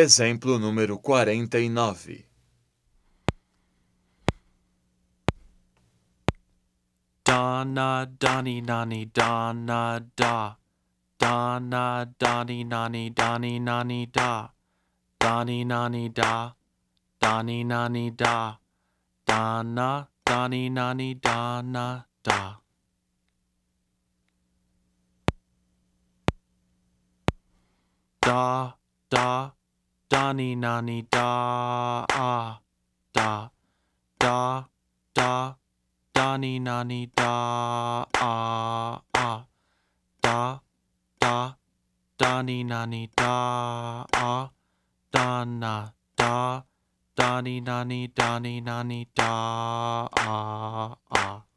Exemplo número 49. Donna, Donnie, Nani, Donna, da. Donna, Donnie, Nani, Donnie, Nani, da. Donnie, Nani, da. Donnie, Nani, da. Donna, Donnie, Nani, Donna, da. Da, da, Donnie, Nani, da, ah, da. Da, da, Donnie, Nani, da, ah, ah. Da, da, Donnie, Nani, da, ah. Donna, da, Donnie, Nani, Donnie, Nani, da, ah, ah.